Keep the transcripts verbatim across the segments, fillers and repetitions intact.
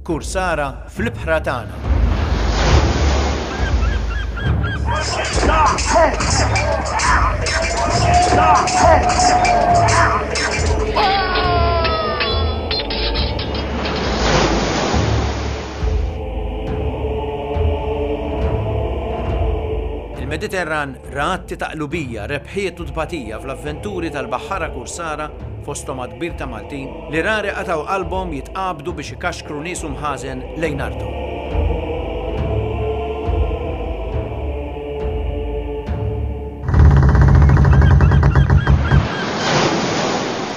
Kursara fl-ibħra tagħna. Il-Mediterran ra atti ta' qlubija, rebħiet u tbatija fl-avventuri tal-baħħara kursara, fosthom għadd kbir ta' Maltin, li rari qatgħu qalbhom jitqabdu biex ikaxkru nies u mħażen lejn arthom.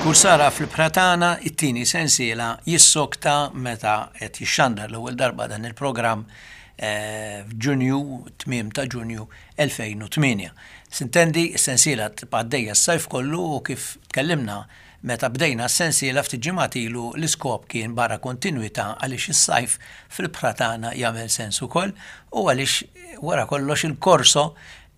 Kursara fl-ibħra tagħna, it-tieni sensiela, jissokta meta qed jixxandar l-ewwel darba dan il-programm f'Ġunju, tmiem ta' Ġunju elfejn u tmienja. Sintendi, s-sensiela tibqa' għaddejja s-sajf kollu u kif tkellimna meta bdejna s-sensiela ftit ġimgħat ilu, l-iskop kien barra kontinwità għaliex is-sajf fl-ibħra tagħna jagħmel sens ukoll u għaliex wara kollox il-korso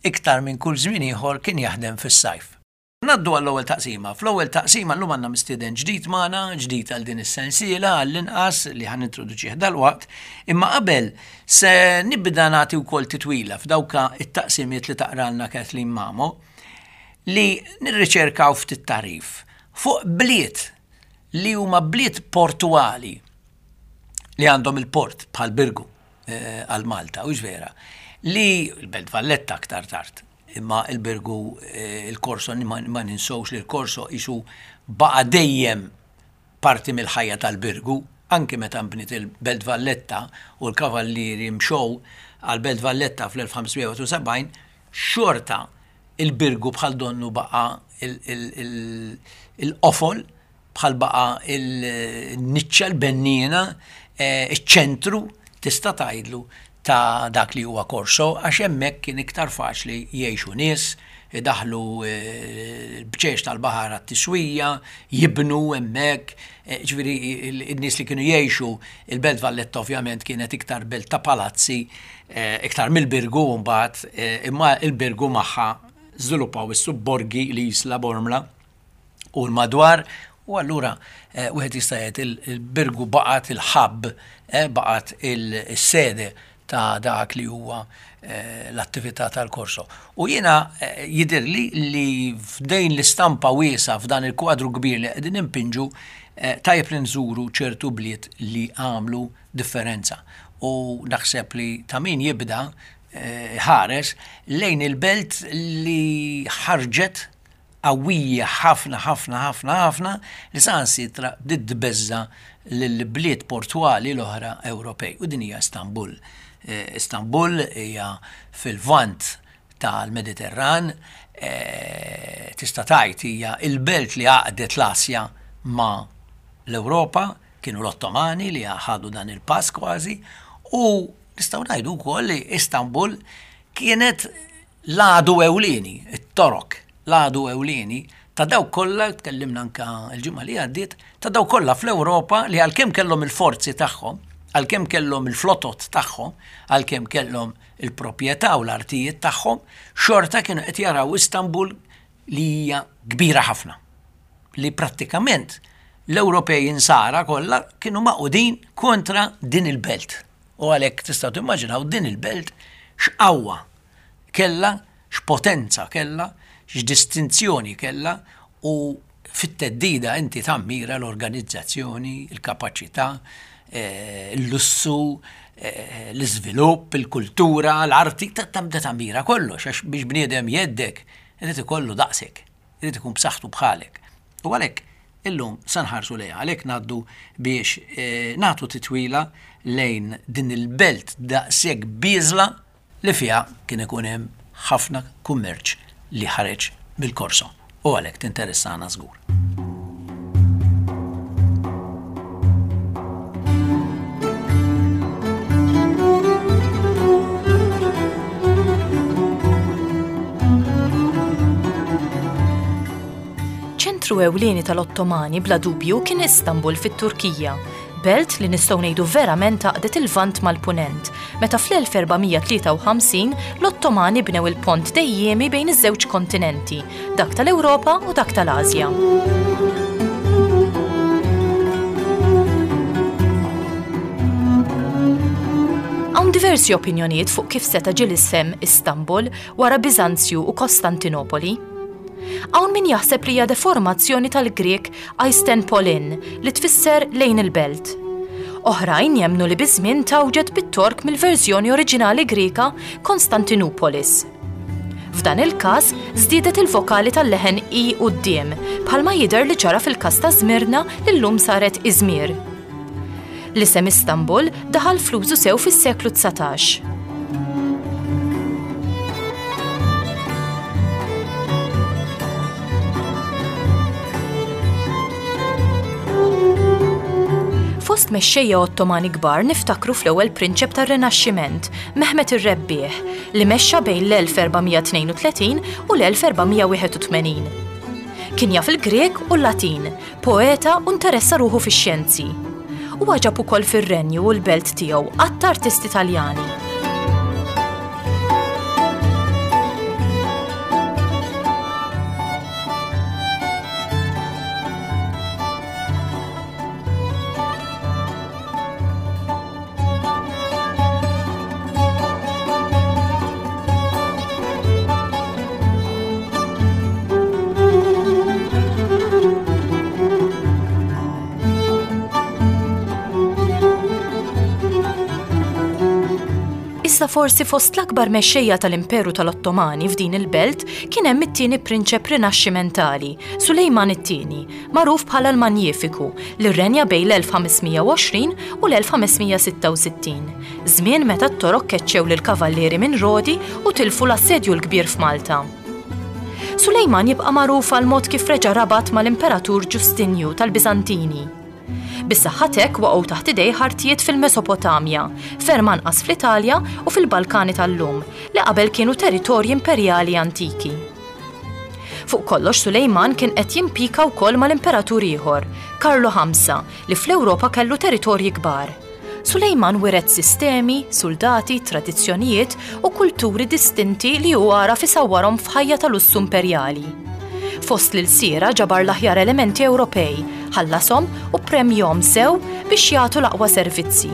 iktar minn kull żmien ieħor kien jaħdem fis-sajf. Ngħaddu għall-ewwel taqsima. Fl-ewwel taqsima llum għandna mistieden ġdid magħna, ġdid għal din is-sensiela għall-inqas li ħa nintroduċih dalwaqt, imma qabel se nibda nagħti wkoll titwila f'dawk it-taqsimiet li taqralna Kathleen Mamo li nirriċerkaw ftit tarif fuq bliet li huma bliet portuali li għandhom il-port bħal Birgu, eh, għal Malta, u vera, li l-Belt Valletta aktar tard. Imma il-Birgu, eh, il-Korso, ma, ma ninsewx li l-Korso isu baqa dejjem parti mill-ħajja tal-Birgu, anki meta nbniet il-Belt Valletta u l-Kavallieri mxew għal-Belt Valletta fl-elf ħamsmija u sebgħin, xorta il-Birgu bħal donnu baqa il-, il-, il-, il-qofol, bħal baqa il-niċċa, l-benniena, eh, iċ-ċentru tista' tgħidlu ta' dak li huwa Korso, għax hemmhekk kien iktar faċli jgħixu nies, idaħlu, eh, l-bċex tal-baħar għat-tiswija, jibnu hemmhekk, eh, ġifieri il-, in-nies li kienu jgħixu il-Belt Valletta ovvjament kienet iktar belt ta' palazzi, eh, iktar mill-Birgu mbagħad, eh, imma il-Birgu magħha żviluppaw is-subborgi li Isla Bormla u l-madwar, u allura, eh, wieħed jista' jgħid il-, il-Birgu baqgħet il-ħabb, eh, baqgħet il-sede ta' dak li huwa, eh, l-attività tal-Korso. U jiena, eh, jidhirli li f'dejn l-istampa wiesa f'dan il-kwadru kbir li qegħdin impinġu, eh, tajjeb li nżuru ċertu bliet li għamlu differenza. U naħseb li ta' min jibda, eh, ħares lejn il-belt li ħarġet qawwija ħafna, ħafna, ħafna, ħafna li saħansitra bdiet tbeżża' lill-bliet portwali l-oħra Ewropej. U din hija Istanbul. Eh, Istanbul hija fil-vant tal-Mediterran, eh, tista' tgħid hija il-belt li għaqdet l-Asja ma' l-Ewropa, kienu l-Ottomani li ħadu dan il-pass kważi, u nistgħu ngħidu wkoll li Istanbul kienet l-għadu ewlieni, it-Torok, l-għadu ewlieni ta' dawk kollha, tkellimna anka l-ġimgħa li għaddiet, ta' dawk kollha fl-Ewropa li għalkemm kellhom il-forzi tagħhom, għalkemm kellhom il-flotot tagħhom, għalkemm kellhom il-proprjetà u l-artijiet tagħhom, xorta kienu qed jaraw Istanbul li hija kbira ħafna, li prattikament l-Ewropej insara kollha kienu maqudin kontra din il-belt. U għalhekk tistgħu timmaġinaw din il-belt x'qawwa kellha, x'potenza kellha, x'distinzjoni kellha, u fit-teddida inti tammira l-organizzazzjoni, il-kapaċità, eh, il-lussu, eh, l-iżvilupp, il-kultura, l-arti, ta-, tabda tammira kollox, għax biex bniedem jeddek, irid ikollu daqsek, irid ikun b'saħħtu bħalek. U għalhekk illum se nħarsu lejha, għalhekk ngħaddu biex, eh, nagħtu titwila lejn din il-belt daqshekk bieżla li fiha kien ikun hemm ħafna kummerċ li ħareġ mill-Korso. U għalhekk tinteressana żgur. Ċentru ewlieni tal-Ottomani bla dubju kien Istanbul fit-Turkija, belt li nistgħu ngħidu verament għaqdet il-Lvant mal-Punent, meta fl-elf erba' mija tlieta u ħamsin l-Ottomani bnew il-pont dejjemi bejn iż-żewġ kontinenti, dak tal-Ewropa u dak tal-Asja. diversi opinjonijiet fuq kif seta' ġie l-isem Istanbul wara Biżanzju u Kostantinopoli. Hawn min jaħseb li hija deformazzjoni tal-Grieg Aistenpolin li tfisser lejn il-belt. Oħrajn jemmnu li biż-żmien tgħawġet bit-Tork mill-verżjoni oriġinali Griega Konstantinopolis. F'dan il-każ żdiedet il-vokali tal-leħen i quddiem, bħalma jidher li ġara fil-każ ta' Żmirna li llum saret Iżmir. L-isem Istanbul daħal fl-użu sew fis-seklu dsatax. Fost mexxejja Ottomani kbar niftakru fl-ewwel prinċep tar-Rinaxximent, Mehmet ir-Rebbieħ, li mexxa bejn l-elf erba' mija tnejn u tletin u l-elf erba' mija wieħed u tmenin. Kien jaf il-Grek u l-Latin, poeta u interessa ruħu fix-xjenzi. Huwa ġab ukoll fir-renju u l-belt tiegħu għadd artisti Taljani. Iżda forsi fost l-akbar mexxejja tal-Imperu tal-Ottomani f'din il-belt kien hemm it-tieni prinċep rinaxximentali, Sulejman it-tieni, magħruf bħala l-Manjifiku, li rrenja bejn l-elf ħames mija u għoxrin u l-elf ħames mija sitta u sittin, żmien meta t-Torok keċċew lill-kavallieri minn Rodi u tilfu l-assedju l-kbir f'Malta. Sulejman jibqa' magħruf għal mod kif reġa' rabat mal-Imperatur Ġustinju tal-Biżantini. Bis-saħħa t'hekk waqgħu taħt idejh artijiet fil-Mesopotamja, ferm anqas fl-Italja u fil-Balkani tal-lum, li qabel kienu territorji imperjali antiki. Fuq kollox Sulejman kien qed jimpika wkoll mal-imperatur ieħor, Karlu ħamsa, li fl-Ewropa kellu territorji kbar. Sulejman wiret sistemi, soldati, tradizzjonijiet u kulturi distinti li hu għaraf isawwarhom f'ħajja tal-lussu imperjali. Fost l-ilsiera ġabar l-aħjar elementi Ewropej, ħallasom u premjom sew biex jagħtu l-aqwa servizzi.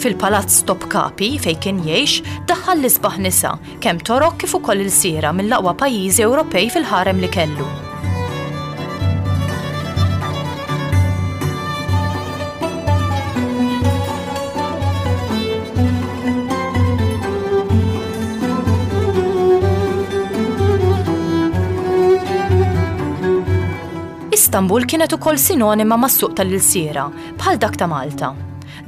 Fil-palazz Topkapi fejn kien jgħix daħħal l-isbaħ nisa, kemm Torok kif ukoll ilsiera mill-aqwa pajjiżi Ewropej fil-ħarem li kellu. Istanbul kienet ukoll sinonima mas-suq tal-ilsiera, bħal dak ta' Malta.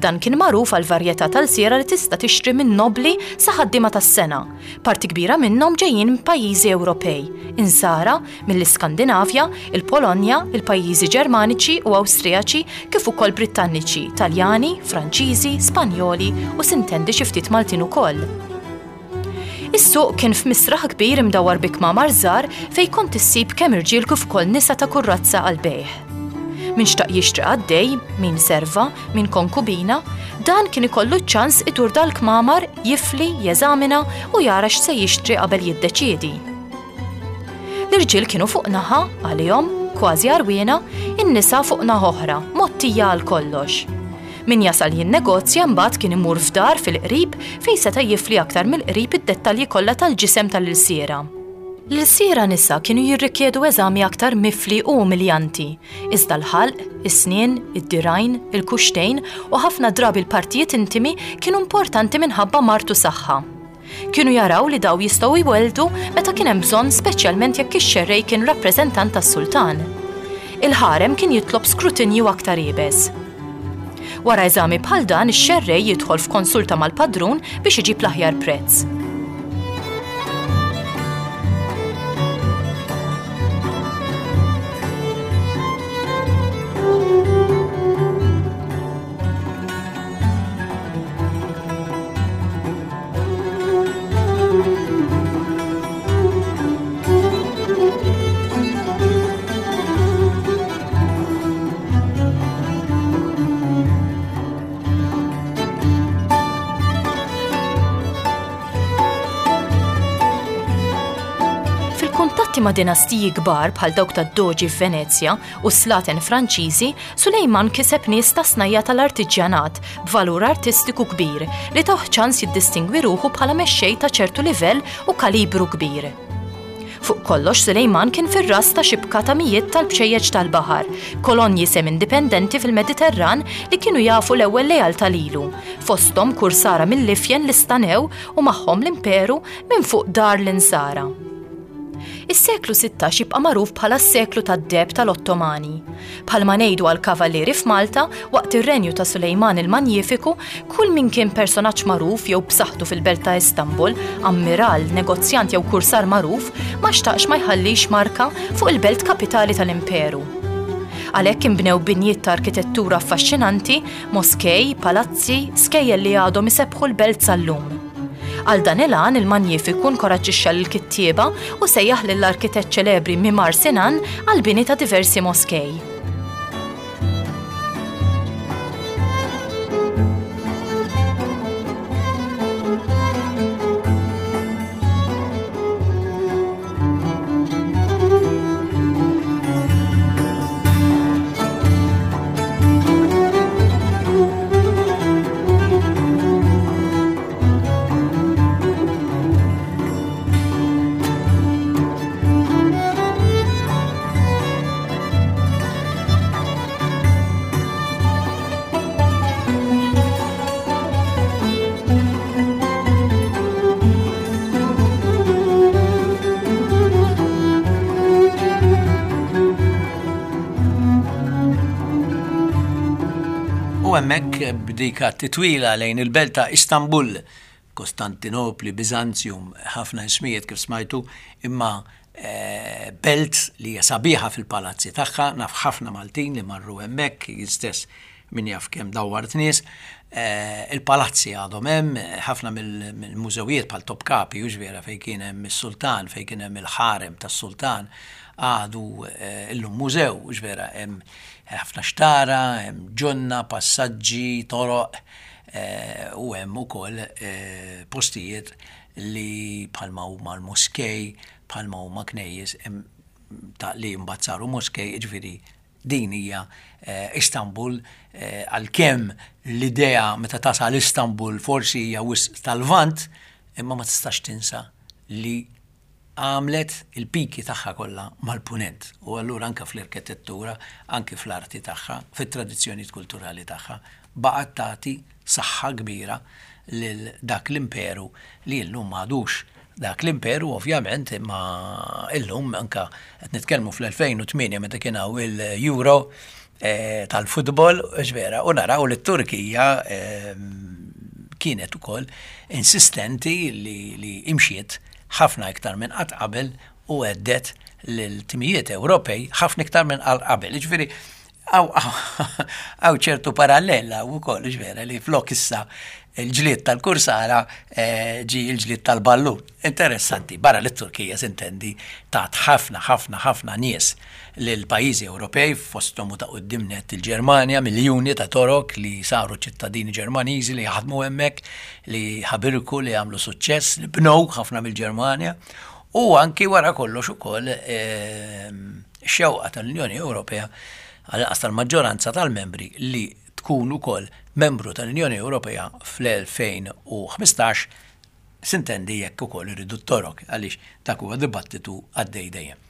Dan kien magħruf għal varjetà tal-siera li tista' tixtri minn nobli sa ħaddiema tas-sena. Parti kbira minnhom ġejjin minn pajjiżi Ewropej, insara, mill-Iskandinavja, il-Polonja, il-pajjiżi Ġermaniċi u Awstrijaċi, kif ukoll Brittaniċi, Taljani, Franċiżi, Spanjoli u sintendi xi ftit Maltin ukoll. Is-suq kien f'misraħ kbir imdawwar bi kmamar żgħar fejn kont issib kemm irġiel kif ukoll nisa ta' kurrazza għal bejħ. Min xtaq jixtri għaddej, min serva, min konkubina, dan kien ikollu ċ-ċans idur dal-kmamar, jifli, jeżamina u jara x'se jixtri qabel jiddeċiedi. L-irġiel kienu fuq naħa, għalihom, kważi għarwiena, in-nisa fuq naħa oħra, mottija għal kollox. Min jasal jinnegozja mbagħad kien imur f'dar fil-qrib fejn seta' jifli aktar mill-qrib id-dettalji kollha tal-ġisem tal-ilsiera. L-ilsiera nisa kienu jirrikjedu eżami aktar mifli u umiljanti, iżda l-ħalq, is-snien, id-dirajn, il-kuxtejn u ħafna drabi l-partijiet intimi kienu importanti minħabba martu saħħa. Kienu jaraw li daw jistgħu jweldu meta kien hemm bżonn, speċjalment jekk ix-xerrej kien rappreżentant tas-sultan. Il-ħarem kien jitlob skrutinju aktar iebes. Wara eżami bħal dan, ix-xerrej jidħol f'konsulta mal-padrun biex iġib l-aħjar prezz. B'rabti ma' dinastiji kbar bħal dawk tad-Doġi f'Venezja u slaten Franċiżi, Sulejman kiseb nies ta' snajja tal-artiġjanat b'valur artistiku kbir li tawh ċans jiddistingwi ruħu bħala mexxej ta' ċertu livell u kalibru kbir. Fuq kollox Sulejman kien fir-ras ta' xibka ta' mijiet tal-bċejjeċ tal-baħar, kolonji sem-indipendenti fil-Mediterran li kienu jafu l-ewwel lealtà lilu, fosthom kursara mill-Ifjen li stanew u magħhom l-imperu minn fuq dar l-Insara. Is-seklu sittax jibqa' magħruf bħala s-seklu tad-deheb tal-Ottomani. Bħalma ngħidu għal kavallieri f'Malta, waqt ir-renju ta' Sulejman il-Manjifiku, kull min kien personaġġ magħruf jew b'saħħtu fil-belt ta' Istanbul, ammiral, negozjant jew kursar magħruf, ma xtaqx ma jħallix marka fuq il-belt kapitali tal-imperu. Għalhekk inbnew binjiet ta' arkitettura affaxxinanti, moskej, palazzi, skejjel li għadhom isebbħu l-belt sal-lum. Għal dan il-għan il-Manjifiku nkoraġġixxa lill-kittieba u sejjaħ lill-arkitett ċelebri Mimar Sinan għal bini ta' diversi moskej. U hemmhekk b'dika titwila lejn il-belt ta' Istanbul, Kostantinopli, Bizantium, ħafna ismijiet kif smajtu, imma eh, belt li hija sabiħa fil-palazzi tagħha, naf ħafna Maltin li marru hemmhekk, jien stess min jaf kemm dawwart nies, eh, il-palazzi għadhom hemm, ħafna mill-mużewijiet bħal Topkapi, hux vera, fejn kien hemm is-sultan, fejn kien hemm il-ħarem tas-sultan, għadu eh, illum mużew, hux vera, hemm ħafna xtara, hemm ġonna, passaġġi, toroq, eh, u hemm ukoll eh, postijiet li bħalma huma l-moskej, bħalma huma knejjes, hemm ta' li mbagħad saru moskej, jiġifieri din hija eh, Istanbul, eh, għalkemm l-idea meta tasal Istanbul forsi hija wisq tal-Lvant, imma ma tistax tinsa li għamlet il-piki tagħha kollha mal-punent. U allura anke fl-arkitettura, anke fl-arti tagħha, fit-tradizzjonijiet kulturali tagħha, baqgħet tagħti saħħa kbira lil dak l-imperu li llum m'għadux dak l-imperu ovvjament, imma illum anka qed nitkellmu fl-elfejn u tmienja meta kien hawn il-Euro, eh, tal-futbol, vera, u naraw li t-Turkija, eh, kienet ukoll insistenti li, li imxiet ħafna iktar minn qatt qabel u għeddet lil-timijiet Ewropej ħafna iktar minn qatt qabel. Jiġifieri, hawn, hawn ċertu parallela wkoll, vera, li flok issa il-ġlied tal-kursara, eh, ġi il-ġlied tal-ballun. Interessanti, barra li t-Turkija sintendi tat ħafna, ħafna, ħafna nies lil pajjiżi Ewropej, fosthom u ta' quddiem nett il-Ġermanja, miljuni ta' Torok li saru ċittadini Ġermaniżi li jaħdmu hemmhekk, li ħabirku, li għamlu suċċess, li bnew ħafna mill-Ġermanja, u anki wara kollox ukoll, eh, xewqa tal-Unjoni Ewropea għal-inqas tal-maġġoranza tal-membri li tkun ukoll membru tal-Unjoni Ewropea fl-elfejn u ħmistax, sintendi jekk ukoll iridu t-Torok, għaliex dak huwa dibattitu għaddej dejjem.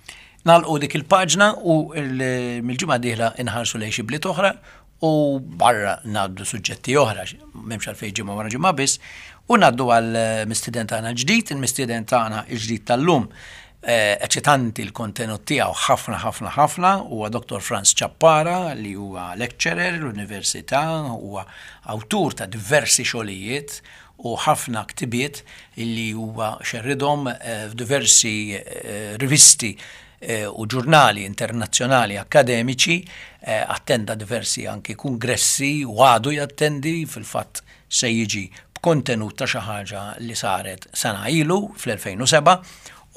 Nagħlqu dik il-paġna u il-, mill-ġimgħa d-dieħla inħarsu lejn xi bliet oħra u barra ngħaddu suġġetti oħra, m'hemmx għalfejn ġimgħa wara ġimgħa biss, u ngħaddu għal mistieden tagħna ġdid, il-mistieden tagħna l-ġdid tal-lum. Eh, eċitanti l-kontenut tiegħu ħafna, ħafna, ħafna, huwa Doktor Frans Ciappara li huwa lecturer l-università, huwa awtur ta' diversi xogħlijiet u ħafna ktibiet li huwa xerridhom, eh, f'diversi, eh, rivisti, eh, u ġurnali internazzjonali akkademiċi, eh, attenda diversi anki kongressi u għadu jattendi, fil-fatt se jiġi b'kontenut ta' xi ħaġa li saret sena ilu fl-elfejn u seba',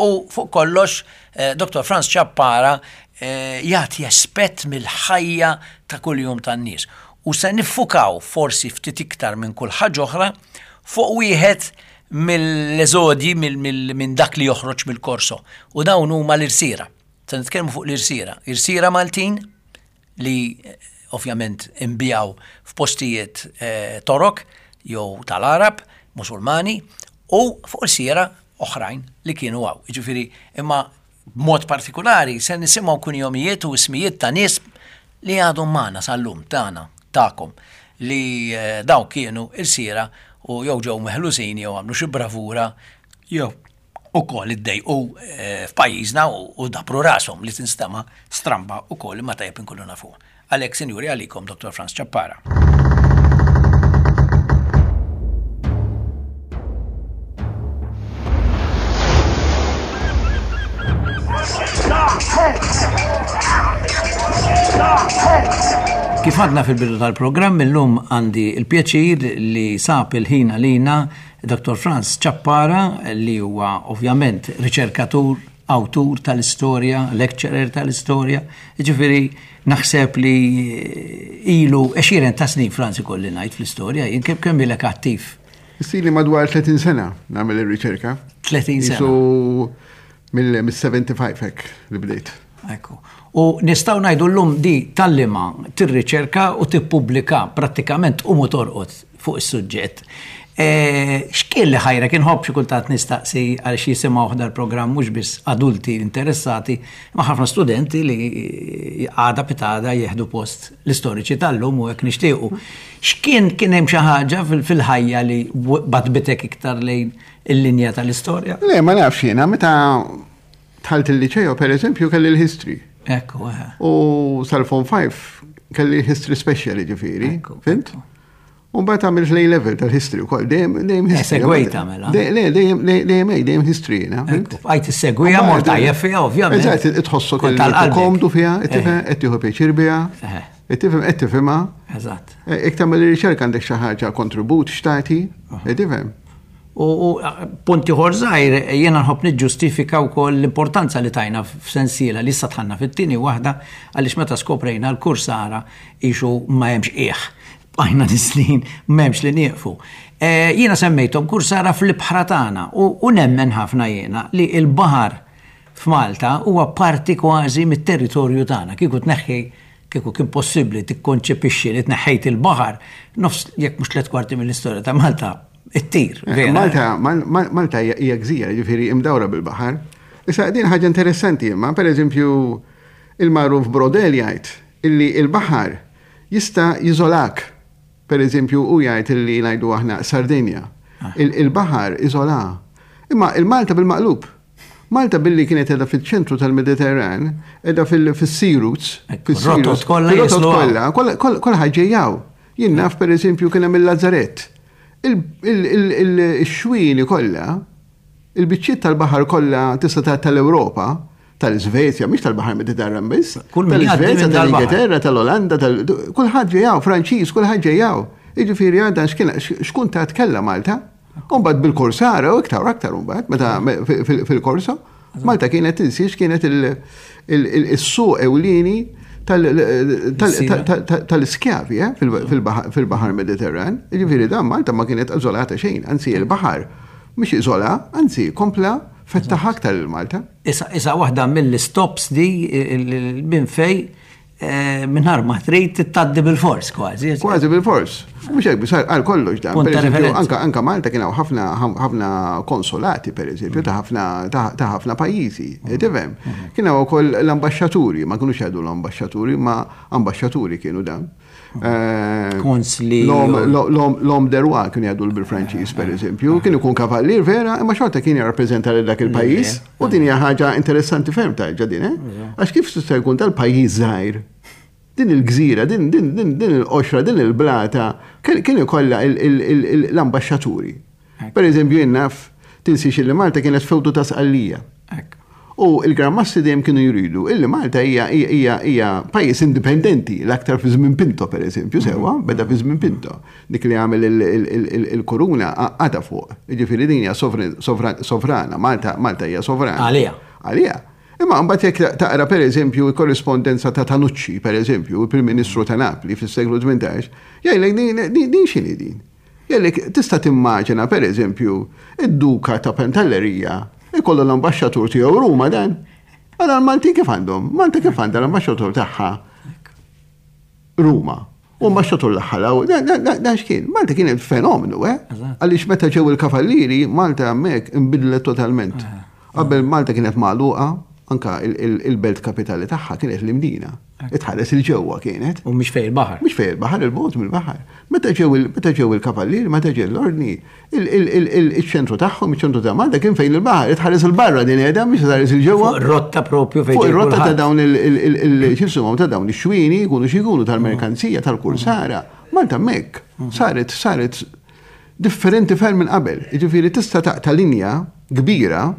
u fuq kollox, eh, Doktor Frans Ciappara, eh, jagħti aspett mill-ħajja ta' kuljum tan-nies. U se niffukaw forsi ftit iktar minn kull ħaġa oħra fuq wieħed mill-eżodji minn dak li joħroġ mill-korso. U dawn huma l-irsira. Se nitkellmu fuq l-irsira. Irsira Maltin li ovvjament imbijaw f'postijiet Torok jew tal-Arab, Musulmani, u fuq irsira oħrajn li kienu għaw. Jiġifieri, imma b'mod partikolari se nisimgħu kunjomijiet u ismijiet ta' nies li għadhom magħna sal-lum tagħna, tagħkom, li daw kienu irsira u jew ġew meħlusin jew għamlu xi bravura jew ukoll iddejqu f'pajjiżna u dabru rashom li tinstema' stramba ukoll imma tajjeb inkunu nafuha. Għalhekk, sinjuri, għalikom Dottor Frans Ciappara. Kif għadna fil-bidu tal-programm, illum għandi il-pjaċir li sab il-ħin għalina Dottor Frans Ciappara, li huwa ovvjament riċerkatur, awtur tal-istorja, lecturer tal-istorja, ġifieri naħseb li ilu għexieren ta' snin Frans ikolli ngħid fl-istorja, jien kemm kemm ilek attiv? Isili madwar tletin sena nagħmel ir-riċerka. tletin sena. Isu mill-seventy-five hekk li bdejt. Ekku. U nistgħu ngħidu llum di tallima tirriċerka u tippubblika prattikament u torqod fuq is-suġġett. X'kien li ħajrek? Inħobb xi kultant nistaqsi għal xi jisimgħu waħda l-programm mhux biss adulti interessati, ma ħafna studenti li għada pitada jieħdu post l-istoriċi tal-lum u hekk nixtiequ. X'kien kien hemm xi ħaġa fil-ħajja li batbitek iktar lejn il-linja tal-istorja? Le, ma nafx jiena, meta dħalt il-liċeo, per eżempju, kelli l-history. Ekku, eħe. U sal-Form five kelli history special, ġifieri, fint? U mbagħad għamilt l-A level tal-history wkoll, dejjem dejjem Eh, history. Segwejta mela. Le, dejjem dejjem dejjem history jiena, fint? Ekku, bqajt issegwiha mort tajjeb fiha, ovvjament. Eżatt, itħossok Kont li tal-qalbek. komdu fiha, tifhem, qed tieħu pjaċir biha, tifhem, qed tifhimha. Eżatt. Jekk tagħmel ir-riċerka għandek xi ħaġa kontribut x'tagħti, tifhem. U punt ieħor żgħir, jiena nħobb niġġustifika wkoll l-importanza li tajna f'sensiela li issa dħalna fit-tieni waħda għaliex meta skoprejna l-kursara ixu ma hemmx qiegħ. Bqajna nislin m'hemmx li nieqfu. Jiena semmejthom kursara fl-ibħra tagħna u nemmen ħafna jiena li l-baħar f'Malta huwa parti kważi mit-territorju tagħna. Kieku tneħħi, kieku kien possibbli tikkonċepixxi li tneħħejt il-baħar, nofs jekk mhux tliet kwarti mill-istorja ta' Malta ittir, vera. Malta, Malta hija gżira, ġifieri imdawra bil-baħar. Issa din ħaġa interessanti imma, pereżempju, il-magħruf Brodel jgħid illi il-baħar jista' jiżolak. Per eżempju, u jgħid illi ngħidu aħna Sardinja. Il-baħar iżola. Imma il-Malta bil-maqlub. Malta billi kienet edha fil-ċentru tal-Mediterran, edha fil-sea routes, fil-sea routes, Rotot kollha fil-rotot jislu kollha, kollha, kollha, kollha ħaġejjaw. Jien naf per eżempju kien hemm il-Lazaret. Il-xwini kollha, il-biċċiet tal-baħar kollha tista' tgħid tal-Ewropa, tal-Iżvezja, mhix tal-Baħar Mediterran biss, Kull min jgħaddi tal-Iżvezja, minn dal-baħar. tal-Ingilterra, tal-Olanda, kulħadd ġejjaw, Franċiż, kulħadd ġejjaw. Jiġifieri għadha x'kun ta' tkella Malta. U mbagħad bil-Korsara u iktar aktar mbagħad meta fil-Korsa, Malta kienet tinsiex kienet il-suq ewlieni tal-iskjavi, eh, fil-Baħar Mediterran. Jiġifieri dan Malta ma kienet iżolata xejn, anzi il-baħar mhux iżola, anzi kompla fettaħ aktar lil Malta. Issa, issa waħda mill-stops di minn fej mingħajr ma trid tgħaddi bil-fors kważi. Kważi bil-fors. Mhux hekk biss għal kollox dan. Punt Per ta' eżempju, referenza. anka, anka Malta kien hawn ħafna, ħafna konsolati, per eżempju, ta' ħafna, ta', ta' ħafna pajjiżi. Tifhem? Kien hawn ukoll l-ambaxxaturi, ma kinux jgħidu l-ambaxxaturi, ma ambaxxaturi kienu dan. Konsli. L'homme de roi kienu jgħidu bil-Franċiż, per eżempju, kien ikun kavallier vera, imma xorta kien jirrappreżenta lil dak il-pajjiż. U din hija ħaġa interessanti ferm ta' ġadin, eh? Għax kif tista' jkun tal-pajjiż żgħir? Din il-gżira, din, din, din, din il-qoxra, din il-blata, kien ikollha l-ambaxxaturi. Per eżempju, jien naf, tinsiex li Malta kienet fewdu ta' Sqallija. U il-Gran Mastri dejjem kienu jridu illi Malta hija, hija, hija pajjiż indipendenti, l-aktar fi żmien Pinto, per eżempju, sewwa, beda fi żmien Pinto. Dik li għamel il-kuruna għadha fuq. Jiġifieri din hija sovrana, Malta, Malta hija sovrana. Għalija. Għalija. Imma mbagħad jekk taqra per eżempju l-korrispondenza ta' Tanucci, per eżempju, il-Prim Ministru ta' Napli fis-seklu tmintax, jgħidlek din, din, din x'inhi din? Kellek tista' timmaġina, per eżempju, id-duka ta' Pantellerija ikollu l-ambaxxatur tiegħu Ruma dan. Għala l-Malti kif għandhom? Malta kif għandha l-ambaxxatur tagħha Ruma. U ambaxxatur l-ħalaw, dan x'kien? Malta kienet fenomenu, eh? Għaliex meta ġew il-kavallieri, Malta hemmhekk inbidlet totalment. Qabel Malta kienet magħluqa, anka il-belt kapitali tagħha kienet l-Imdina. Itħares il-ġewwa kienet. U mhix fejn il-baħar. Mhix fejn il-baħar, il-bogħod mill-baħar. Meta ġew meta ġew il-kavallieri, meta ġew l-ordni, il-ċentru tagħhom, iċ-ċentru ta' Malta kien fejn il-baħar, itħares il-barra din qiegħda mhix itħares il-ġewwa. Rotta propju fejn. Fuq ir-rotta ta' dawn il-x'ismhom ta' dawn ix-xwini jkunu xi jkunu tal-merkanzija tal-kursara. Malta hemmhekk saret saret differenti ferm minn qabel. Jiġifieri tista' taqta' linja kbira.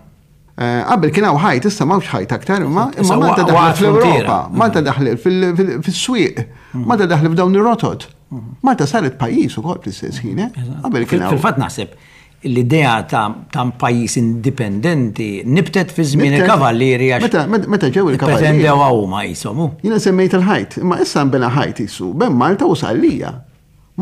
Qabel kien hawn ħajt, issa m'hawnx ħajt aktar, imma imma Malta daħlet fl-Ewropa, Malta daħlet fis-swieq, Malta daħlet f'dawn ir-rotot. Malta saret pajjiż ukoll fl-istess ħin, eh? Qabel kien hawn. Fil-fatt naħseb l-idea ta' pajjiż indipendenti nibtet fi żmien il-kavallieri għax. Meta ġew il-kavallieri. Pretendew huma jisomu. Jiena semmejt il-ħajt, imma issa nbena ħajt isu bejn Malta u Sqallija.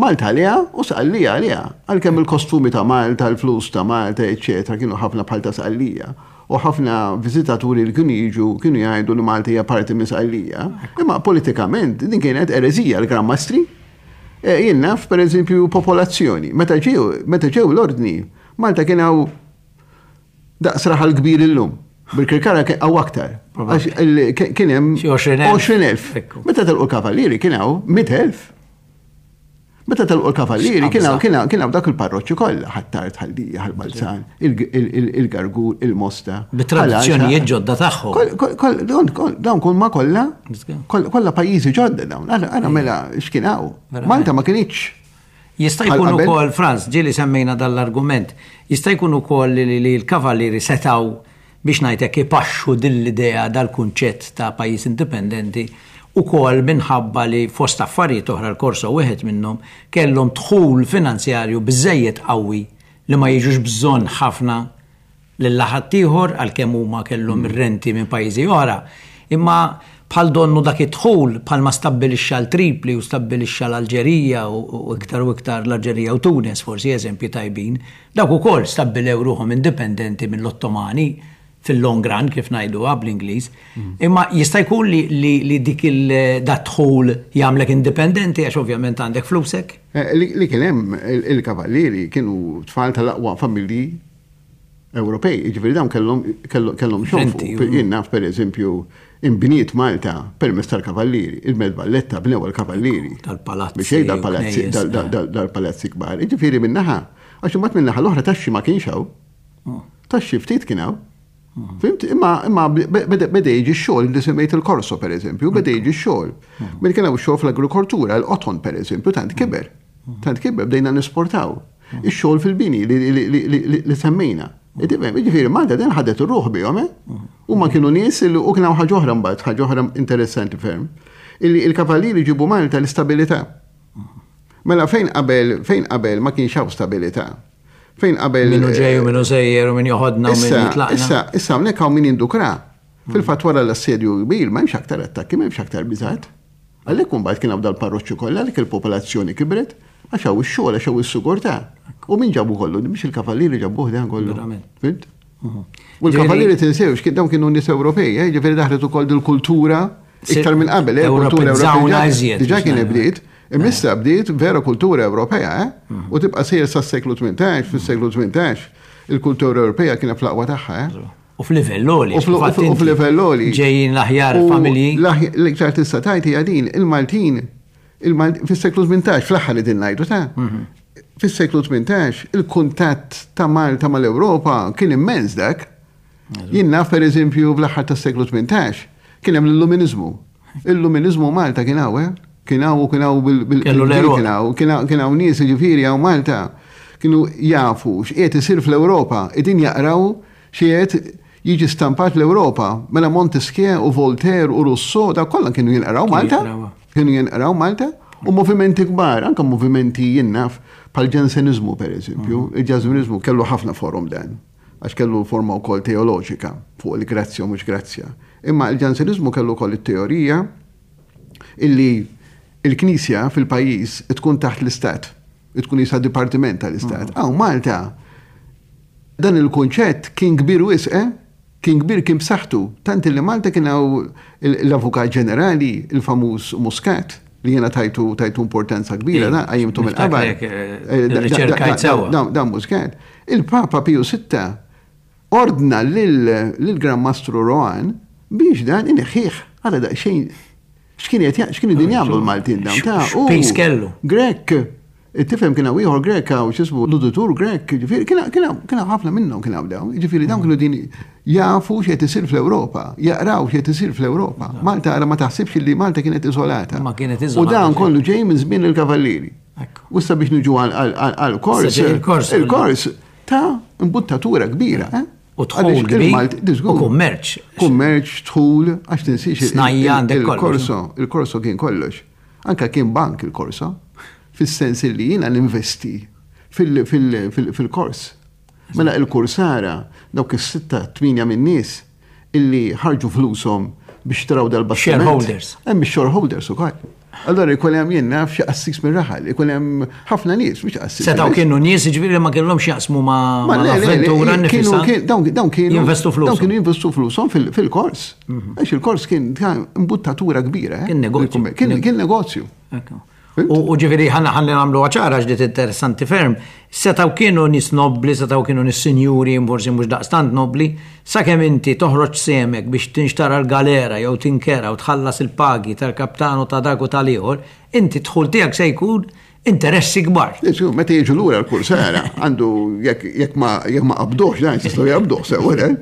Malta għaliha u Sqallija għaliha. Għalkemm il-kostumi ta' Malta, il-flus ta' Malta, eċċetera, kienu ħafna bħal ta' Sqallija. U ħafna viżitaturi li kienu jiġu kienu jgħidu li Malta hija parti minn Sqallija. Imma politikament din kienet ereżija l-Gran Mastri. Jien naf per eżempju popolazzjoni. Meta ġew meta ġew l-ordni, Malta kien hawn daqs raħal kbir illum. Bil-Kirkara kien hawn aktar. Kien hemm għoxrin elf. Meta telqu l-kavallieri kien hawn mitt elf. Meta telqu l-kavallieri kien hawn kien hawn dak il-parroċċi kollha, Ħ'Attard, Ħal Lija, Ħal Balzan, il-Gargur, il-Mosta. Bit-tradizzjonijiet ġodda tagħhom. Dawn kull ma kollha, kollha pajjiżi ġodda dawn. Ara mela x'kien hawn. Malta ma kinitx. Jista' jkun ukoll, Franz, ġieli semmejna dal-argument, jista' jkun ukoll li l-kavallieri setgħu biex ngħidlek ipaxxu din l-idea dal-kunċett ta' pajjiż indipendenti ukoll minħabba li fost affarijiet oħra l-Korso wieħed minnhom kellhom dħul finanzjarju biżejjed qawwi li ma jiġux bżonn ħafna lil ħaddieħor għalkemm huma kellhom ir-renti minn pajjiżi oħra. Imma bħal donnu dak id-dħul bħalma stabbilixxa l-Tripli u stabbilixxa l-Alġerija u iktar u iktar l-Alġerija u Tunis forsi eżempji tajbin, dawk ukoll stabbilew ruħhom indipendenti mill-Ottomani fil-long run kif ngħiduha bl-Ingliż. Imma jista' jkun li, li, li dik il-dħul jagħmlek indipendenti għax ovvjament għandek flusek? Li, li kien hemm il-kavallieri kienu tfal tal-aqwa familji Ewropej, jiġifieri dawn kellhom kellhom xonfu. Jien naf per eżempju inbniet Malta permezz tal-kavallieri, il-Belt Valletta bnew il-kavallieri. Dal-palazzi. Biex dal-palazzi, dal-palazzi kbar. Jiġifieri minnaħa, għax imbagħad minnaħa l-oħra taxxi ma kienx hawn. Taxxi ftit kien hawn. Fhimt? Imma imma beda jiġi x-xogħol li semmejt il-Korso per eżempju, beda jiġi x-xogħol. Minn kien hawn xogħol fl-agrikoltura, il-qoton per eżempju, tant kiber. Tant kiber bdejna nesportaw. Ix-xogħol fil-bini li semmejna. Jiġifieri Malta din ħadet ir-ruħ bihom, eh? U ma kienu nies u kien hawn ħaġa oħra mbagħad, ħaġa oħra interessanti ferm. Illi il-kavallieri ġibu Malta l-istabilità. Mela fejn qabel fejn qabel ma kienx hawn stabilità. Fejn qabel Minnu ġej u minnu sejjer u min joħodna u min jitlaqna. Issa, issa hawnhekk hawn min jindukra. Fil-fatt wara l-assedju kbir ma hemmx aktar attakki, ma hemmx aktar biżgħat. Għalhekk imbagħad kien hawn dal-parroċċi kollha għalhekk il-popolazzjoni kibret għax hawn ix-xogħol għax hawn is-sigurtà. U min ġabu kollu, mhux il-kavallieri ġabuh dan kollu. Fhimt? U l-kavallieri tinsewx, dawn kienu nies Ewropej, eh, ġifieri daħlet ukoll dil-kultura iktar minn qabel, eh, kultura Ewropea. Diġà kien bdiet, imissa bdiet vera kultura Ewropea, eh? U tibqa' sejjer sas-seklu tmintax, fis-seklu tmintax, il-kultura Ewropea kienet fl-aqwa tagħha, eh? U f'livell għoli. U f'livell għoli. Ġejjin l-aħjar familji. L-iktar tista' tgħid hija din, il-Maltin, fis-seklu tmintax, fl-aħħar li din ngħidu ta' fis-seklu tmintax, il-kuntatt ta' Malta mal-Ewropa kien immens dak. Jien naf per eżempju fl-aħħar tas-seklu tmintax, kien hemm l-Illuminizmu. Il-Illuminizmu Malta kien hawn, eh? Kien hawn u kien hawn bil- kien hawn, kien hawn nies jiġifieri hawn Malta kienu jafu x'qiegħed isir fl-Ewropa, qegħdin jaqraw x'qiegħed jiġi stampat l-Ewropa. Mela Montesquieu u Voltaire u Rousseau, da kollha kienu jinqraw Malta. Kienu jinqraw Malta. U movimenti kbar, anke movimenti jien naf bħal ġansenizmu per eżempju. Il-ġansenizmu kellu ħafna forum dan, għax kellu forma wkoll teoloġika fuq il-grazzja u mhux grazzja. Imma il-ġansenizmu kellu wkoll it-teorija illi il-Knisja fil-pajjiż tkun taħt l-Istat. Tkun jisa dipartiment tal-istat. Hawn Malta, dan il-kunċett kien kbir wisq, eh? Kien kbir, kien b'saħħtu. Tant li Malta kien hawn l-Avukat Ġenerali, il-famuż Muscat, li jena tajtu tajtu importanza kbira, da, għajimtu mill-qabar. Dan Muscat. Il-Papa Piju Sitta ordna lill-Gran Mastru Rohan biex dan ineħħih għala daqsxejn. X'kien qed x'kienu din jagħmlu l-Maltin dawn ta' u kellu. Grek, tifhem, kien hawn ieħor Grek hawn x'ismu l-uditur Grek, ġifieri kien ħafna minnhom kien hawn dawn, ġifieri dawn kienu din jafu x'qed isir fl-Ewropa, jaqraw x'qed isir fl-Ewropa. Malta ara ma taħsibx li Malta kienet iżolata. Ma kienet iżolata. U dan kollu ġej minn żmien il-Kavallieri. U issa biex niġu għal-kors. Il-kors ta' imbuttatura kbira. Eh? U dħul kbir. U kummerċ. Kummerċ, dħul, għax tinsiex. Snajja għandek. Il-korso, il-korso kien kollox. Anka kien bank il-korso, fis-sens li jiena ninvesti fil-kors. Mela il-kursara, dawk is-sitta, tminja minn nies illi ħarġu flushom biex traw dal-bastiment. Shareholders. Hemm shareholders ukoll. Allora jkun hemm, jien naf, xi qassis minn raħal, ikun hemm ħafna nies, mhux qassis. Setgħu kienu nies ġifieri ma kellhomx jaqsmu ma' l-avventura nifisha. Dawn kienu jinvestu flushom. Dawn kienu jinvestu flushom fil-kors. Mhm. Għax il-kors kien imbuttatura kbira. Eh? Kien negozju. Kien negozju. U ġifieri ħanna ħalli nagħmlu ċara ġdiet interessanti ferm. Setgħu kienu nies nobli, setgħu kienu nies sinjuri, forsi mhux daqstant nobli, sakemm inti toħroġ semek biex tinxtara l-galera jew tinkera u tħallas il-pagi tal-kaptanu ta' dak u tal-ieħor, inti dħul tiegħek se jkun interessi kbar. Meta jiġu lura l-kursara, għandu jekk ma jekk ma qabduhx, dan jistgħu jaqbduh sew, eh?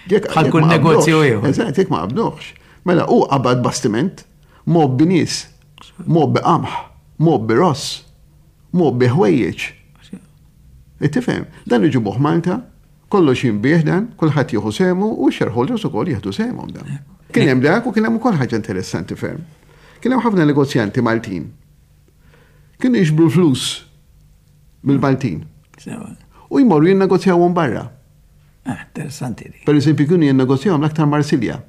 Bħal kull negozju ieħor. Eżatt, jekk ma qabduhx. Mela hu qabad bastiment, mgħobbi nies, mgħobbi qamħ, mgħobbi ross, mgħobbi ħwejjeġ. Tifhem, dan iġibuh Malta, kollox jinbiegħ dan, kulħadd jieħu sehmu u shareholders ukoll jieħdu sehemhom dan. Kien hemm dak u kien hemm ukoll ħaġa interessanti ferm. Kien hemm ħafna negozjanti Maltin. Kienu jiġbru flus mill-Maltin. U jmorru jinnegozjawhom barra. Ah, interessanti di. Per eżempju, kienu jinnegozjawhom l-aktar Marsilja.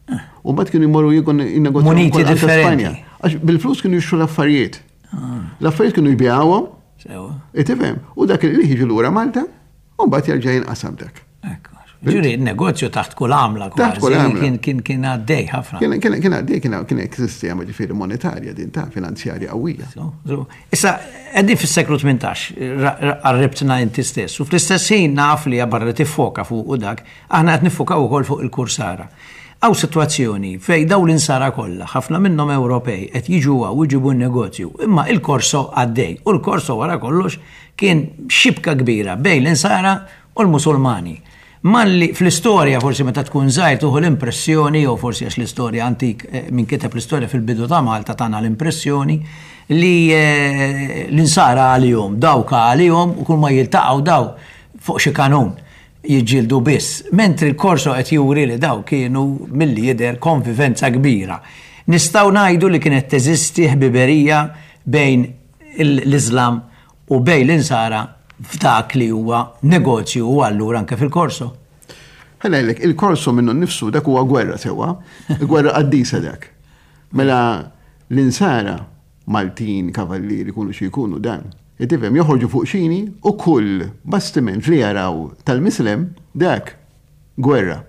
Ah. U mbagħad kienu jmorru jinnegozjawhom Muniti differenti. Għax bil-flus kienu jixtru l-affarijiet. Ah. L-affarijiet kienu jbigħuhom. Tifhem, u dak li jiġu lura Malta, u mbagħad jerġa' jinqasam dak. Ġuri, negozju taħt kull għamla. Taħt kull għamla. Kien kien kien għaddej ħafna. Kien kien għaddej, kien kien sistema ġifieri monetarja din ta' finanzjarja qawwija. Issa, qegħdin fis-seklu tmintax, qarribtna inti stess, u fl-istess ħin naf li barra tiffoka fuq u dak, aħna qed niffokaw ukoll fuq il-kursara. Hawn sitwazzjoni fej daw l-insara kollha, ħafna minnhom Ewropej, qed jiġu u jġibu n-negozju, imma il-korso għaddej, u l-korso wara kollox kien xibka kbira bejn l-insara u l-Musulmani. Malli fl-istorja forsi meta tkun żgħir tuħu l-impressjoni, jew forsi għax l-istorja antik min kiteb l-istorja fil-bidu ta' Malta tana l-impressjoni li l-insara għalihom, dawka għalihom u kull ma jiltaqgħu daw fuq xi kanun jiġġieldu biss. Mentri l-korso qed juri li daw kienu milli jidher konvivenza kbira. Nistgħu ngħidu li kienet teżisti ħbiberija bejn l-Islam u bejn l-insara f'dak li huwa negozju u allura anke fil-korso. Ħa ngħidlek, il-korso minnu nnifsu dak huwa gwerra sewwa, gwerra qaddisa dak. Mela l-insara Maltin, kavallieri, jkunu xi jkunu dan. Tifhem, joħorġu fuq xini u kull bastiment li jaraw tal-Mislem dak gwerra.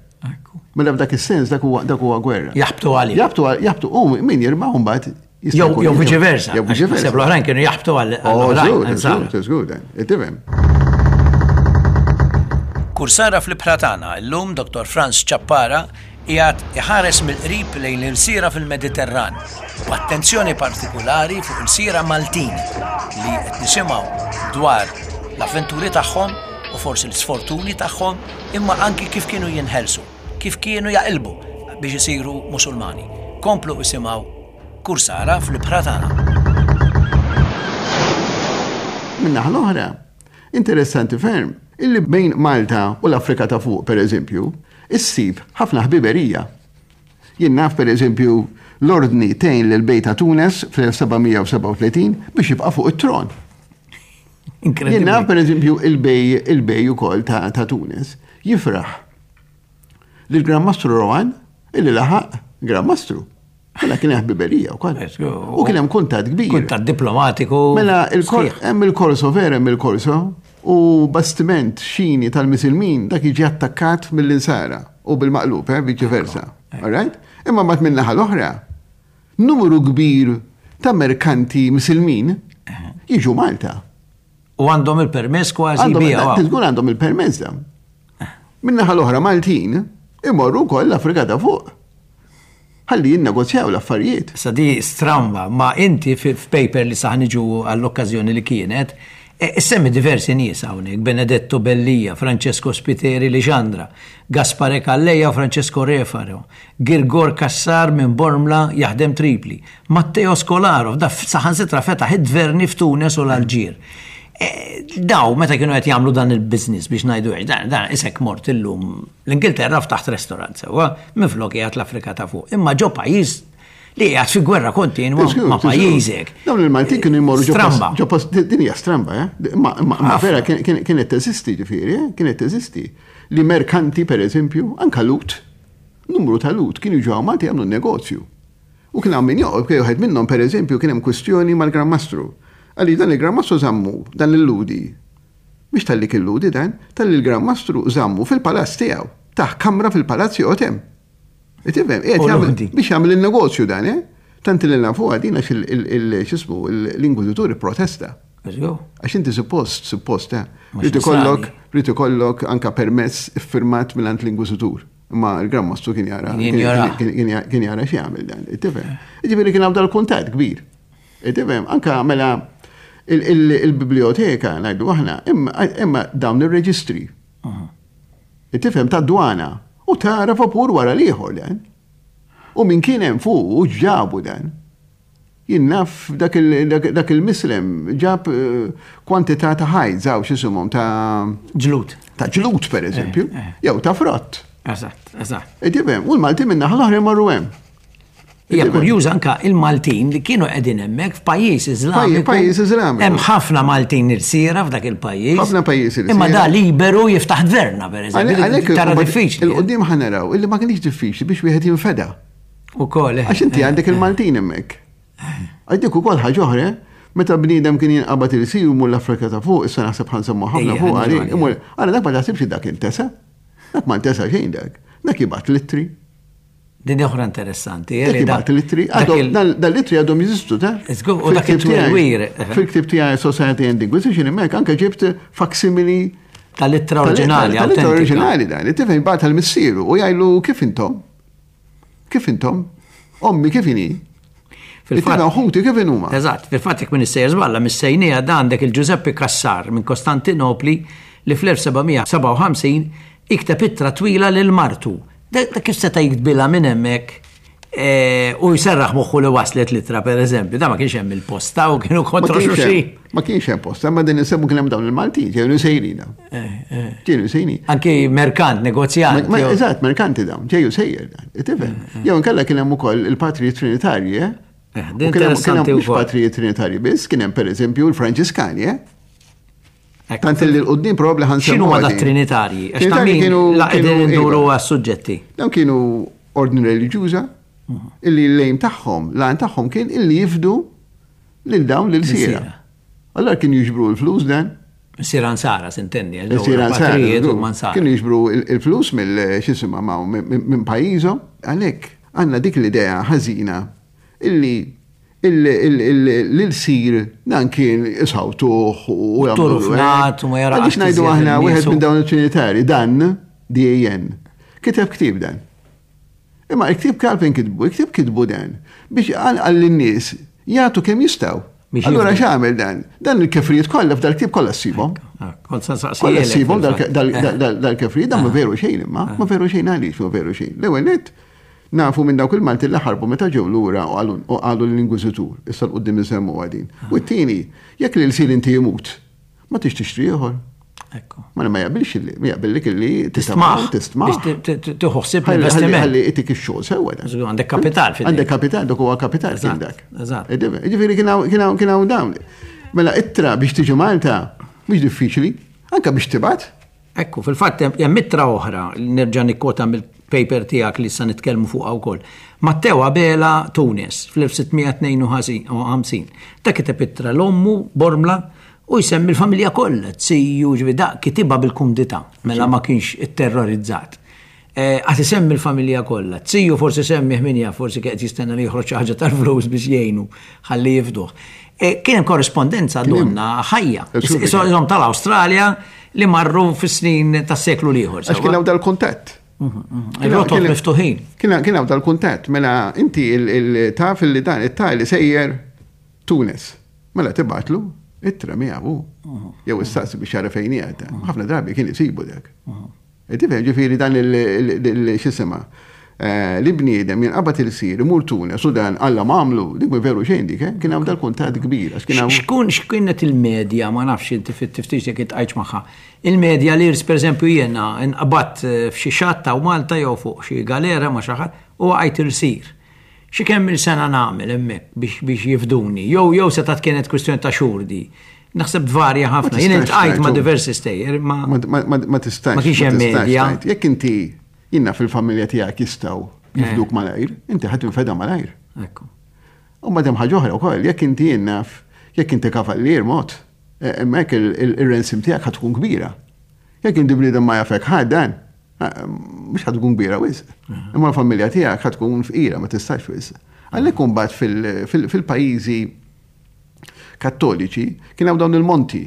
Mela f'dak is-sens dak huwa dak huwa gwerra. Jaħbtu għalih. Jaħbtu jaħbtu u min jirbaħ mbagħad Jew viċi versa. Jew viċi versa. L-oħrajn kienu jaħbtu għal oħrajn. Żgur, tifhem. Kursara fl-ibħra tagħna llum Doktor Frans Ciappara qiegħed iħares mill-qrib lejn l-ilsira fil-Mediterran, b'attenzjoni partikulari fuq il-sira Maltin li qed nisimgħu dwar l-avventuri tagħhom u forsi l-sfortuni tagħhom, imma anki kif kienu jinħelsu, kif kienu jaqilbu biex isiru Musulmani. Komplu isimgħu Kursara fl-ibħra tagħna. Min-naħa l-oħra, interessanti ferm, illi bejn Malta u l-Afrika ta' fuq, per eżempju, issib ħafna ħbiberija. Jien naf, per eżempju, l-ordni tgħin lil bej ta' Tunes fl-elf seba' mija u sebgħa u tletin biex jibqa' fuq it-tron. Jien naf, per eżempju, il-bej il-bej ukoll ta', ta' Tunes jifraħ lil Gran Mastru Rohan illi laħaq Gran Mastru. Mela kien hemm ħbiberija wkoll. U kien hemm kuntatt kbir. Kuntatt diplomatiku. Mela hemm il-korso vera, hemm il-korso, u bastiment xini tal-Misilmin dak jiġi attakkat mill-insara u bil-maqlub, eh, viċi versa. All right? Imma mat min-naħa l-oħra, numru kbir ta' merkanti Misilmin jiġu Malta. U għandhom il-permess kważi bija. Tiżgur għandhom il-permess da. Min-naħa l-oħra Maltin imorru wkoll l-Afrika ta' fuq. Ħalli jinnegozjaw l-affarijiet. Sa di stramba, ma inti f'paper li saħniġu għall-okkażjoni li kienet, semmi diversi nies hawnhekk, Benedetto Bellia, Francesco Spiteri Lixandra, Gaspare Calleja u Francesco Refaro, Girgor Cassar minn Bormla jaħdem Tripli, Matteo Scolaro, da saħansitra fetaħ id-dverni f'Tunes u l-Alġir. Daw, meta kienu qed jagħmlu dan il-business biex ngħidu hekk, dan, dan isek mort illum l-Ingilterra ftaħt restorant sewwa, minflok qiegħed l-Afrika ta' fuq. Imma ġo pajjiż li qiegħed fi gwerra kontinwa ma' pajjiżek. Dawn il-Maltin kienu jmorru ġo post, din hija stramba, eh? Ma vera kienet teżisti ġifieri, kienet teżisti. Li merkanti pereżempju, anka Lut, numru ta' Lut kienu ġew Malti jagħmlu negozju. U kien hawn min joqgħod, kien wieħed minnhom pereżempju kien hemm kwistjoni mal-Gran Mastru. Għalli dan il-Gran Mastru żammu, dan il-Ludi. Mhix talli kien Ludi dan, talli il-Gran Mastru żammu fil-palazz tiegħu. Taħ kamra fil-palazz joqgħod hemm. Tifhem, qiegħed biex jagħmel il-negozju dan, eh? Tant li nafu għadin għax x'ismu l-inkwiżitur protesta. Għax inti suppost, suppost, eh? Rid ikollok, rid ikollok anka permess iffirmat mingħand l-inkwiżitur. Imma l-Gran Mastru kien jara, kien jara x'jagħmel dan, tifhem. Jiġifieri kien hawn dal-kuntatt kbir. Tifhem, anka mela il-biblioteka ngħidu aħna, imma dawn ir-reġistri. Tifhem tad-dwana u tara vapur wara l-ieħor dan. U min kien hemm fuq u ġabu dan. Jien naf dak il-mislem ġab kwantità ta' ħajt, żaw x'isimhom ta' ġlut. Ta' ġlut pereżempju, jew ta' frott. Eżatt, eżatt. Tifhem, u l-Malti minn naħa l-oħra jmorru hemm. Hija kurjuża anka il-Maltin li kienu qegħdin hemmhekk f'pajjiż Iżlamiku. Pajjiż Iżlamiku. Hemm ħafna Maltin irsiera f'dak il-pajjiż. Ħafna pajjiż irsiera. Imma da liberu jiftaħ dverna pereżempju. Tara diffiċli. Il-qudiem ħa naraw illi ma kienx diffiċli biex wieħed jinfeda. Ukoll. Għax inti għandek il-Maltin hemmhekk. Għajdek ukoll ħaġa oħra, meta bniedem kien jinqabad ilsir u mur l-Afrika ta' fuq, issa naħseb ħa nsemmu ħafna fuq għalik. Għala dak ma taħsibx dak intesa. Dak ma ntesa xejn dak. Dak jibgħat littri. Din oħra interessanti. Dak l-ittri, dal-ittri għadhom jeżistu, ta' U dak it-twelwir. Fil-ktib tiegħi Society and Inquisition hemmhekk anke ġibt faksimili tal-ittra oriġinali. Tal-ittra oriġinali dan, tifhem bagħat tal-missieru u jgħidlu kif intom? Kif intom? Ommi kif inhi? Fil-fatt ħuti kif inhuma? Eżatt, fil-fatt jekk min issejjer żballa missejnija dan għandek il-Giuseppe Cassar minn Kostantinopli li fl-elf sebgħamija sebgħa u ħamsin ikteb ittra twila lil martu. Da kif seta' jiktbilha minn hemmhekk u jserraħ moħħu li waslet litra pereżempju, da ma kienx hemm il-posta u kienu kontra xulxin. Ma kienx hemm posta, ma din insemmu kien hemm dawn il-Maltin, ġew sejrina. Ġew sejrin. Anki merkant, negozjant. Eżatt, merkanti dawn, ġew sejjer dan. Tifhem. Jew inkella kien hemm ukoll il-patrijiet Trinitarji, eh? Interessanti wkoll. Mhux patrijiet Trinitarji biss, kien hemm pereżempju l-Franġiskani, eh? Tant li l-qoddim probabli ħansemmu. X'inhu ma da Trinitarji? Għax ta' min la qegħdin induru għas-suġġetti. Dawn kienu ordni reliġjuża illi l-lejn tagħhom, l-għan tagħhom kien illi jifdu lil dawn lil sira. Allora kienu jiġbru l-flus dan. Sira nsara, s'intendi. Sira nsara. Kienu jiġbru il-flus mill x'isimha minn pajjiżhom. Għalhekk għandna dik l-idea ħażina illi l-sir dan kien isawtuh u jagħmlu. U ma jara. Għaliex ngħidu aħna wieħed minn dawn it-Trinitari, dan D A N, kiteb ktieb dan. Imma il-ktieb kalfejn kitbu, il-ktieb kitbu dan biex għal lin-nies jagħtu kemm jistgħu. Allura x'għamel dan? Dan il-kefrijiet kollha f'dal-ktieb kollha ssibhom. Kollha ssibhom dal-kefrijiet, dan ma veru xejn imma, ma veru xejn għaliex ma veru xejn. L-ewwel nett nafu minn dawk il-Malti li ħarbu meta ġew lura u qalu l-Inkwiżitur, issa l-qudiem insemmu għadin. U t-tieni, jekk l-ilsir inti jimut, ma tix tixtri ieħor. Ekku. Ma ma jaqbilx illi, ma jaqbillek illi tistmaħ. Tistmaħ. Tieħu ħsieb l-investiment. Ħalli itik ix-xogħol sewwa dan. Għandek kapital fidejk. Għandek kapital, dak huwa kapital kien dak. Eżatt. Jiġifieri kien hawn dawn. Mela ittra biex tiġi Malta mhux diffiċli, anke biex tibgħat. Ekku, fil-fatt hemm ittra oħra, nerġa' nikkota mill paper tiegħek li sa nitkellmu fuqha wkoll. Matteo Abela Tunis fl-elf sitt mija tnejn u ħamsin. Ta' kiteb ittra l-ommu Bormla u jsemmi l-familja kollha, ziju, ġifieri da kitibha bil-kumdità, mela ma kienx itterrorizzat. Għad isemmi l-familja kollha. Ziju forsi semmi min jaf, forsi qed jistenna li joħroġ xi ħaġa tal-flus biex jgħinu ħalli jifduh. Kien hemm korrespondenza donna ħajja. Isom tal-Awstralja li marru fis-snin tas-seklu l-ieħor. Għax kien hawn dal-kuntatt. Il-rotot miftuħin. Kien hawn dal-kuntatt, mela inti taf li dan it-tali sejjer Tunis. Mela tibgħatlu ittra miegħu. Jew issaqsi biex jara fejn qiegħed. Ħafna drabi kien isibu dak. Tifhem, ġifieri dan il-x'isima. Li bniedem jinqabad ilsir, imur Tunis, u dan Alla m'għamlu, dik mhu veru xejn dik, kien hawn dal-kuntatt kbir. Xkun x'kienet il-medja, ma nafx inti fit-tiftix jekk itqajtx magħha. Il-medja li per eżempju jiena nqabadt f'xi xatta u Malta jew fuq xi galera ma' xi ħadd u għajt ilsir. Xi kemm il-sena nagħmel hemmhekk biex jifduni, jew jew setgħet kienet kwistjoni ta' xhur di. Naħseb tvarja ħafna. Jien iltqajt ma' diversi stejjer, ma Ma tistax. Ma kienx hemm medja. Jekk inti jiena fil-familja tiegħek jistgħu jifduk malajr, inti ħadd tinfeda malajr. Ekku. U madem ħaġa oħra wkoll, jekk inti jiena jekk inti kavallier mod, hemmhekk il-ransom tiegħek ħad tkun kbira. Jekk inti bniedem ma jafek ħadd dan, mhux ħad tkun kbira wisq. Imma l-familja tiegħek ħad tkun fqira, ma tistax wisq. Għalhekk imbagħad fil-pajjiżi kattoliċi kien hawn dawn il-monti.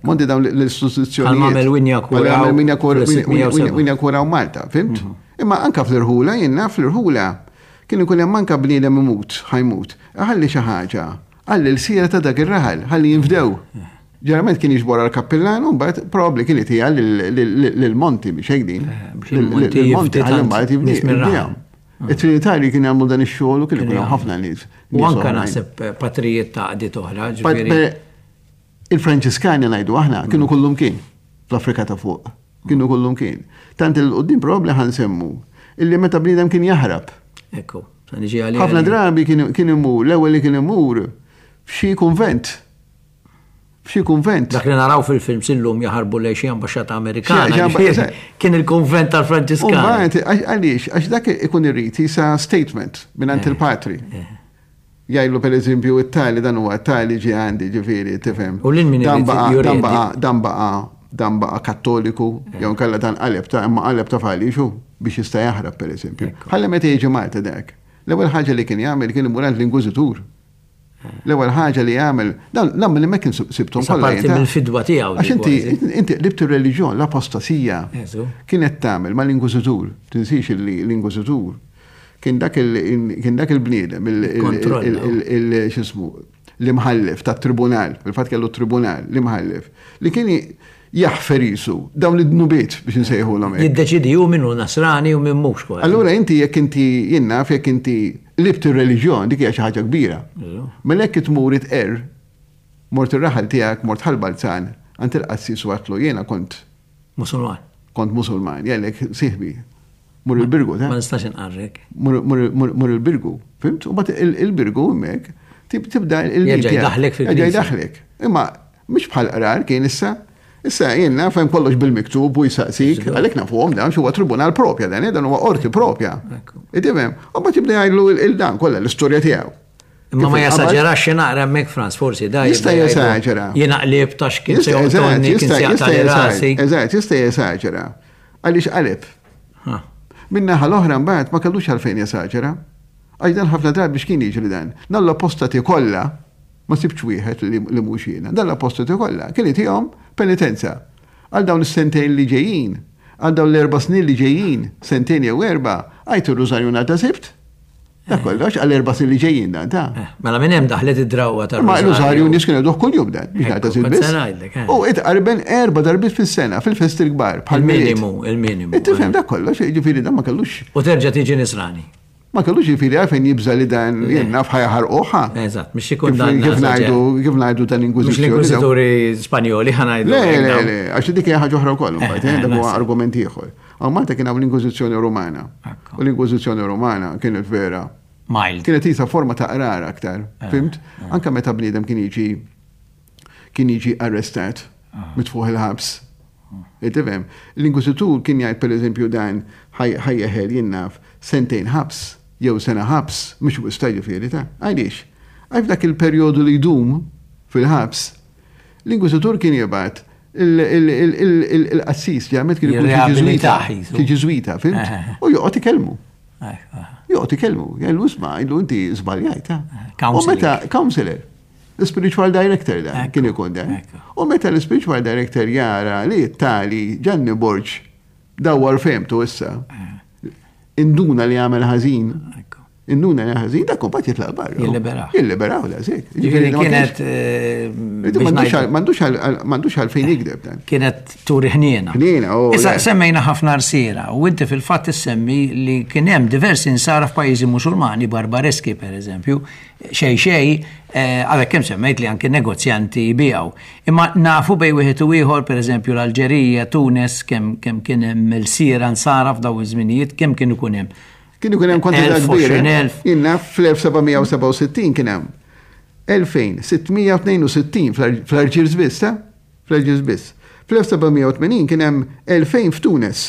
Monti dawn l-istituzzjonijiet. Għal Mamel Winja Winja Malta, fimt? Imma anka fl-irħula, jiena fl-irħula, kien ikun hemm anka bniedem imut, ħa jmut. Ħalli xi ħaġa, ħalli l-sira ta' dak ir-raħal, ħalli jinfdew. Ġeneralment kien jiġbor għal-kappillan u mbagħad probabbli kien itiha lill-monti biex hekk din. Lill-monti ħalli mbagħad jibdihom. It-Trinitari kien jagħmlu dan ix-xogħol u kien ikun ħafna nies. U anka naħseb patrijiet ta' għaqdiet oħra, ġifieri. Il-Franċiskani ngħidu aħna kienu kullum kien fl-Afrika ta' fuq. Kienu kullum kien. Tant il-qudiem probabbli ħa nsemmu illi meta bniedem kien jaħrab. Ekku, sa niġi għalija. Ħafna drabi kien imur, l-ewwel li kien imur f'xi kunvent. F'xi kunvent. Dak li naraw fil-film illum jaħarbu lejn xi ambaxxata Amerikana. Kien il-kunvent tal-Franċiskani. Għaliex, għax dak ikun irid jisa statement minn il-patri. Jgħidlu per eżempju it-tali dan huwa tali ġi għandi, ġifieri, tifhem. U lil min Dan baqa' dan baqa' dan baqa' kattoliku, jew nkella dan qaleb ta' imma qaleb ta' falixu biex jista' jaħrab per eżempju. Ħalli meta jiġi Malta dak. L-ewwel ħaġa li kien jagħmel kien imur għand l-Inkwiżitur. L-ewwel ħaġa li jagħmel, dan dan li kien sibtom kollha. Parti mill-fidwa tiegħu. Għax inti inti qlibt ir-reliġjon, l-apostasija kienet tagħmel mal-Inkwiżitur. Tinsix li l-Inkwiżitur kien dak il-bniedem, il-xismu, l-imħallef tat-tribunal, fil-fatt kellu tribunal, l-imħallef, li kien jaħfer jisu dawn id-dnubiet biex nsejħu l Jiddeċidi ju minnu nasrani u minn mhux kważi. Allura inti jekk inti jiena jekk inti qlibt ir-reliġjon, dik hija xi ħaġa kbira. Mela jekk tmur itqer, mort ir-raħal tiegħek, mort Ħal Balzan, għand il-qassis u għedtlu jiena kont Musulman. Kont Musulman, jgħidlek sieħbi. Mur il-Birgu, ta? Ma nistax inqarrek. Mur il-Birgu, fimt? U bat il-Birgu hemmhekk tibda il Jerġa' jdaħlek fil-Knisja. Jerġa' jdaħlek. Imma mhux bħal qrar kien issa. Issa jien naf hemm kollox bil-miktub u jsaqsik, għalhekk nafuhom dan huwa tribunal propja dan, dan huwa qorti propja. Tifhem? U mbagħad jibda jgħidlu il-dan kollha l-istorja tiegħu. Imma ma jesaġerax xi naqra hemmhekk Frans, forsi da. Jista' jesaġera. Jiena qlib ta' x'kien se joqtolni, kien se jaqta' rasi. Eżatt, jista' jesaġera. Għaliex qaleb. Min-naħa l-oħra mbagħad ma kellux għalfejn jesaġera. Għax dan ħafna drabi x'kien jiġri dan. Dan l-apostati kollha ma sibx wieħed li mhux jiena. Dan l-apostati kollha kien itihom penitenza. Għal dawn is-sentejn li ġejjin, għal dawn l-erba' snin li ġejjin, sentejn jew erba', għajt ir-rużarju nhar ta' Sibt. Dak kollox għal erba' snin li ġejjin dan ta'. Mela minn hemm daħlet id-drawwa tar Ma r-rużarju nies kienu jgħiduh kuljum dan, biex nhar ta' Sibt biss. U itqarben erba' darbiet fis-sena fil-festi l-kbar bħal minimu, il-minimu. Tifhem dak kollox, jiġifieri dan ma kellux. U terġa' tiġi nisrani. Ma kellux jiġifieri għalfejn jibża' li dan jien naf ħajaħarquha. Eżatt, mhux ikun dan. Kif ngħidu, kif ngħidu dan Inkwiżizzjoni. Mhux l-Inkwiżituri Spanjoli ħa ngħidu. Le, le, le, għax dik hija ħaġa oħra wkoll imbagħad, dak huwa argument ieħor. Hawn Malta kien hawn l-Inkwiżizzjoni Rumana. U l-Inkwiżizzjoni Rumana kienet vera. Mild. Kienet isa forma ta' qrar aktar, fimt? Anka meta bniedem kien jiġi kien jiġi arrestat, mitfuħ il-ħabs. Tifhem, l-inkwiżitur kien jgħid pereżempju dan ħa jeħel jien naf sentejn ħabs jew sena ħabs, mhux wisq jiġifieri ta' għaliex? Għax f'dak il-perjodu li jdum fil-ħabs, l-inkwiżitur kien jibgħat il-qassis ġamet kien ikun xi Ġiżwita, fhimt? U joqgħod ikellmu. Joqgħod ikellmu, jgħidlu isma' jgħidlu inti żbaljajt. U meta counselor, l-spiritual director da, kien ikun da. U meta l-spiritual director jara li tali Ġanni Borg dawwar fehmtu issa, induna li għamel ħażin, induna li ħażin, dak imbagħad jitlaq barra. Jilliberaw. Jilliberaw da, sek. Ġifieri kienet. M'għandux għalfejn jikdeb dan. Kienet turi ħniena. Ħniena, u. Issa semmejna ħafna rsiera, u inti fil-fatt issemmi li kien hemm diversi nsara f'pajjiżi Musulmani, barbareski per eżempju, xej xej, għadek kemm semmejt li anke negozjanti jbijaw. Imma nafu bej wieħed u ieħor, per eżempju l-Alġerija, Tunes, kemm kemm kien hemm il-sira nsara f'daw iż-żminijiet, kemm kien ikun hemm. Kien ikun hemm kwantità kbira. Jien naf fl-elf seba' mija u sebgħa u sittin kien hemm elfejn sitt mija u tnejn u sittin fl-Alġiers biss, ta? Fl-Alġiers biss. Fl-elf seba' mija u tmenin kien hemm elfejn f'Tunes.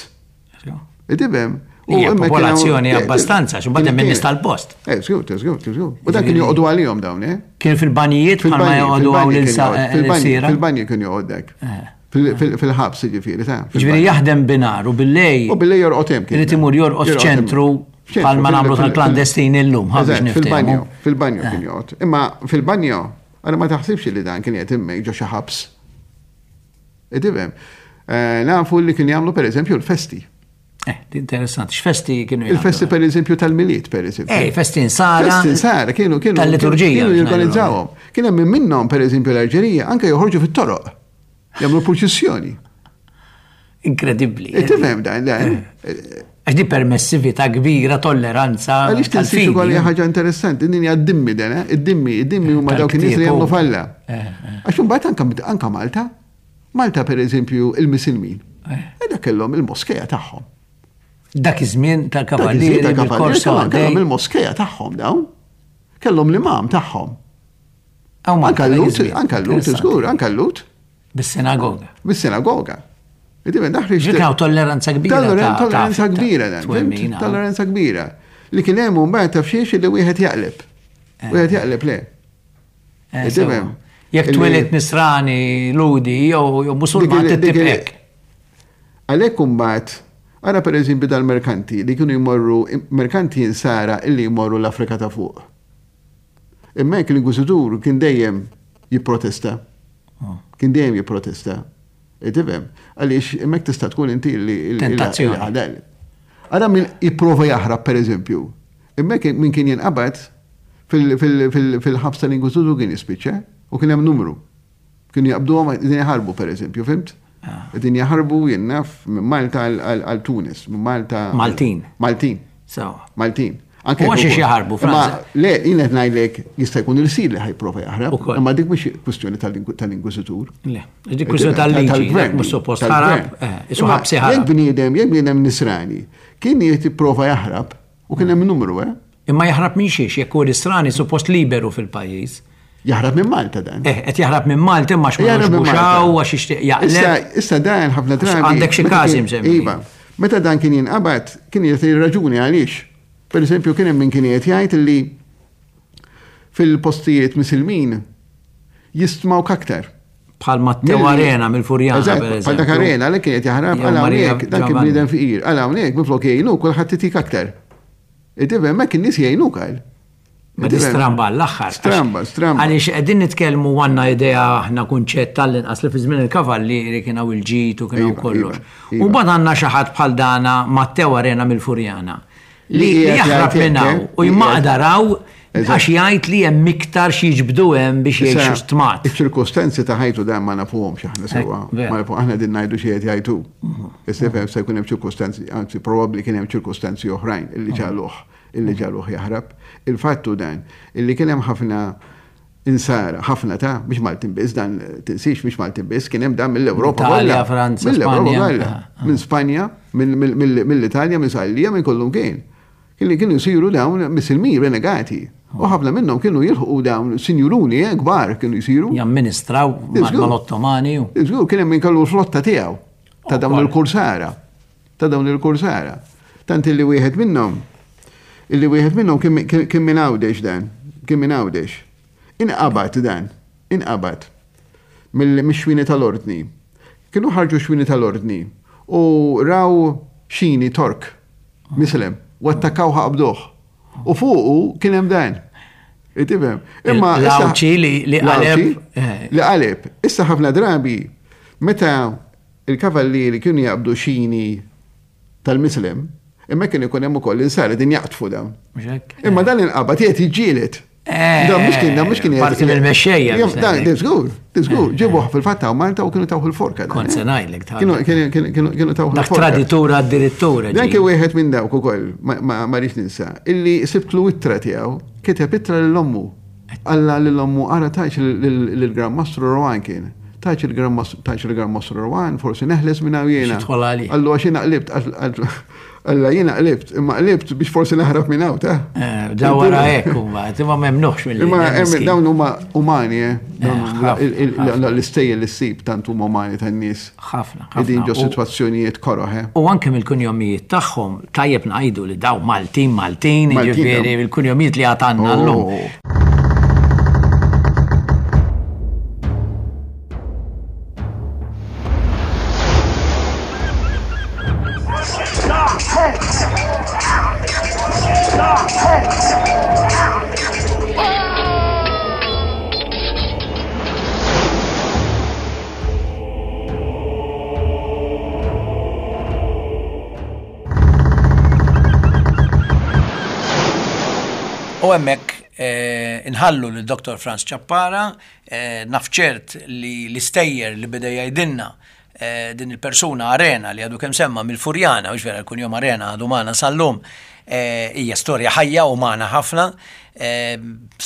Tifhem? U hija popolazzjoni abbastanza, xi mbagħad hemm in-nies tal-post. Eh, żgur, żgur, żgur. U dan kien joqogħdu għalihom dawn, eh? Kien fil-banjijiet bħalma joqogħdu hawn lil Fil-banji kien joqgħod dak. Fil-ħabs jiġifieri, ta' Jiġifieri jaħdem binar u billej. U billej jorqod hemm kien. Irid imur jorqod f'ċentru bħalma nagħmlu tal-klandestini llum, ħa biex niftehmu. Fil-banjo, fil-banjo kien joqgħod. Imma fil-banjo, ara ma taħsibx li dan kien qed immek ġo xi ħabs. Tifhem? Nafu li kien jagħmlu pereżempju l-festi. Eh, interessanti. X'festi kienu jagħmlu? Il-festi pereżempju tal-Milied, pereżempju. Ej, festi nsara. Festi nsara kienu kienu tal-liturġija. Kienu jorganizzawhom. Kien hemm minnhom pereżempju l-Alġerija anke joħorġu fit-toroq. Jagħmlu purċissjoni. Inkredibbli. Tifhem dan, dan. Għax di permessività kbira, tolleranza. Għaliex tinsiex ukoll hija ħaġa interessanti, din hija d-dimmi dan, eh? Id-dimmi, id-dimmi huma dawk in-nies li jagħmlu falla. Għax imbagħad anke anke Malta, Malta pereżempju il-Misilmin. Dak kellhom il-moskeja tagħhom. Dak iż-żmien tal-kavallieri, bil-korso kellhom il-moskeja tagħhom dawn. Kellhom l-imam tagħhom. Anke l-Lut, anke l-Lut, żgur, anke l-Lut. Bis-sinagoga. Bis-sinagoga. Ġikaw tolleranza kbira. Tolleranza kbira dan. Tolleranza kbira. Li kien hemm mbagħad taf xiex li wieħed jaqleb. Wieħed jaqleb le. Jekk twelid Nisrani, Ludi jew Musulman titibqek. Għalhekk imbagħad ara pereżempju dal-merkanti li kienu jmorru merkanti insara illi jmorru l-Afrika ta' fuq. Imma hekk l-inkwiżitur kien dejjem jipprotesta. Kien dejjem jipprotesta. Tifhem, għaliex hemmhekk tista' tkun inti li tentazzjoni. Ara min jipprova jaħrab pereżempju. Hemmhekk min kien jinqabad fil-ħabs tal-inkwiżitur kien jispiċċa u kien hemm numru. Kienu jaqbduhom qegħdin jaħarbu pereżempju, fimt? Qegħdin jaħarbu jien naf minn Malta għal Tunis, minn Malta. Maltin. Maltin. Sewa. Maltin. U għax jaħarbu, Franza. Le, jien qed ngħidlek jista' jkun il-sir li ħajprova jaħrab, imma dik mhux kwistjoni tal-inkwiżitur. Le, dik kwistjoni tal-liġi, mhux suppost ħarab, isu ħabsi ħarab. Jekk bniedem, jekk bniedem Nisrani, kien qed jipprova jaħrab u kien hemm numru, eh? Imma jaħrab minn xiex, jekk hu Nisrani suppost liberu fil-pajjiż. Jaħrab minn Malta dan. Eh, qed jaħrab minn Malta imma x'ma jogħġbux għax jixtieq jaqleb. Issa dan ħafna drabi. Għandek xi każi msemmi. Iva, meta dan kien jinqabad, kien jagħti raġuni għaliex. Per eżempju, kien hemm min kien qed jgħid li fil-postijiet Misilmin jistmawk aktar. Bħal Matteo Arena mill-Furjana, per eżempju. Bħal dak Arena li kien qed jaħrab għal hawnhekk, dan kien bniedem fqir, għal hawnhekk minflok jgħinuk kulħadd itik aktar. Tifhem hemmhekk in-nies jgħinuk għal. Ma di stramba l-aħħar. Stramba, stramba. Għaliex qegħdin nitkellmu għandna idea aħna kunċett tal-inqas li fi żmien il-kavallieri kien hawn il-ġid u kien hawn kollox. U mbagħad għandna xi ħadd bħal dana Matteo Arena mill-Furjana. Li jaħrab minn hawn u jmaqdaraw għax jgħid li hemm iktar xi jiġbdu hemm biex jgħixu stmat. Iċ-ċirkostanzi ta' ħajtu dan ma nafuhomx aħna sewwa. Aħna din ngħidu xi qed jgħidu. Issa se jkun hemm ċirkostanzi, anzi probabbli kien hemm ċirkostanzi oħrajn illi ġaluh illi ġaluh jaħrab. Il-fattu dan illi kien hemm ħafna insara, ħafna ta' mhux Maltin biss, dan tinsiex mhux Maltin biss, kien hemm dan mill-Ewropa kollha. Franza, Spanja. Minn Spanja, mill-Italja, minn Sqallija, minn kollum kien. Kienu kienu jsiru dawn Misilmin renegati. U ħafna minnhom kienu jilħqu dawn sinjuruni kbar kienu jsiru. Jamministraw mal-Ottomani. Żgur, kien hemm min kellu l-flotta tiegħu. ta' dawn il-kursara. Ta' dawn il-kursara. Tant illi wieħed minnhom, illi wieħed minnhom kien minn Għawdex dan, kien minn Għawdex. Inqabad dan, inqabad mill-xwini tal-ordni. Kienu ħarġu xwini tal-ordni u raw xini Tork, mislem, u attakkaw ħaqbduh. U fuqu kien hemm dan. Tifhem. Imma l-Għawdxi li qaleb. Li qaleb. Issa ħafna drabi meta il-kavallieri kienu jaqbdu xini tal-mislem, imma kien ikun hemm ukoll insara din jaqtfu dawn. Imma dan inqabad qiegħed jiġġieled. Dan mhux kien, dan mhux kien. Parti mill-mexxejja. Dan, żgur, żgur, ġibuh fil-fatt ta' Malta u kienu tawh il-forka. Kont se ngħidlek ta' Kienu tawh il-forka. Dak traditur għad-direttur. Dan kien wieħed minn dawk ukoll, ma rridx ninsa, illi sibtlu ittra tiegħu, kiteb ittra lil ommu. Alla lil ommu ara tajx lill-Gran Mastru Rowan kien. Tajx il-Gran Mastru Rowan, forsi neħles minn hawn jiena. Allu għax jiena qlibt, Alla jiena qlibt, imma qlibt biex forsi naħrab minn hawn ta'. Daw wara hekk huma, imma memnuħx mill Imma dawn huma umani, eh. L-istejjer li ssib tant huma umani tan-nies. Ħafna. Qegħdin ġo sitwazzjonijiet koroh, eh. U anke mill-kunjomijiet tagħhom tajjeb ngħidu li daw Maltin Maltin, jiġifieri il-kunjomijiet li għad għandna llum. U hemmhekk inħallu lil Dottor Frans Ciappara, naf ċert li l-istejjer li beda jgħidilna din il-persuna Arena li għadu kemm semma mill-Furjana, u vera l-kunjom Arena għadu magħna sal-lum, hija storja ħajja u magħna ħafna,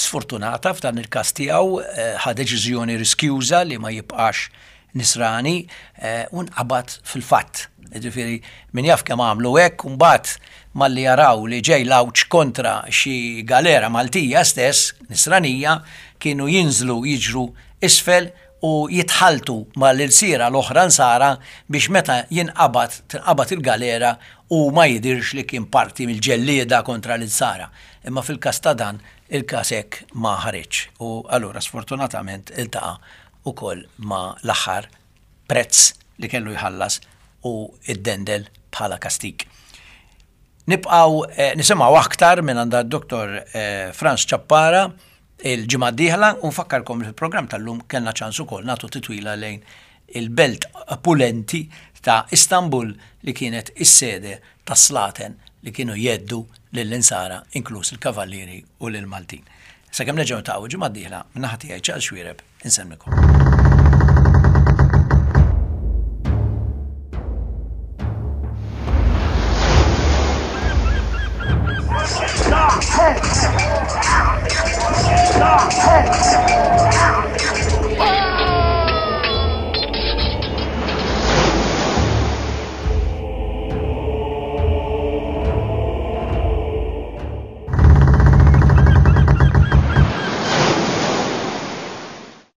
sfortunata f'dan il-każ tiegħu ħa deċiżjoni riskjuża li ma jibqax nisrani u nqabad fil-fatt. Ġifieri min jaf kemm għamlu hekk u mbagħad malli jaraw li ġej l-għawġ kontra xi galera Maltija stess, nisranija, kienu jinżlu jiġru isfel u jitħaltu mal-ilsira l-oħra nsara biex meta jinqabad tinqabad il-galera u ma jidirx li kien parti mill-ġellieda kontra l-insara. Imma fil-każ ta' dan il-każ hekk ma ħareġ u allura sfortunatament iltaqa' ukoll ma l-aħħar prezz li kellu jħallas u id-dendel bħala kastik. Nibqaw nisimgħu aktar minn għand Dottor Frans Ciappara il-ġimgħa d-dieħla u nfakkarkom li fil-programm tal-lum kellna ċans ukoll nagħtu titwila lejn il-belt opulenti ta' Istanbul li kienet is-sede tas-slaten li kienu jeddu lill-insara inkluż il-kavallieri u lill-Maltin. Sakemm nerġgħu niltaqgħu ġimgħa d-dieħla minn naħa tiegħi Charles Xuereb insellmikom.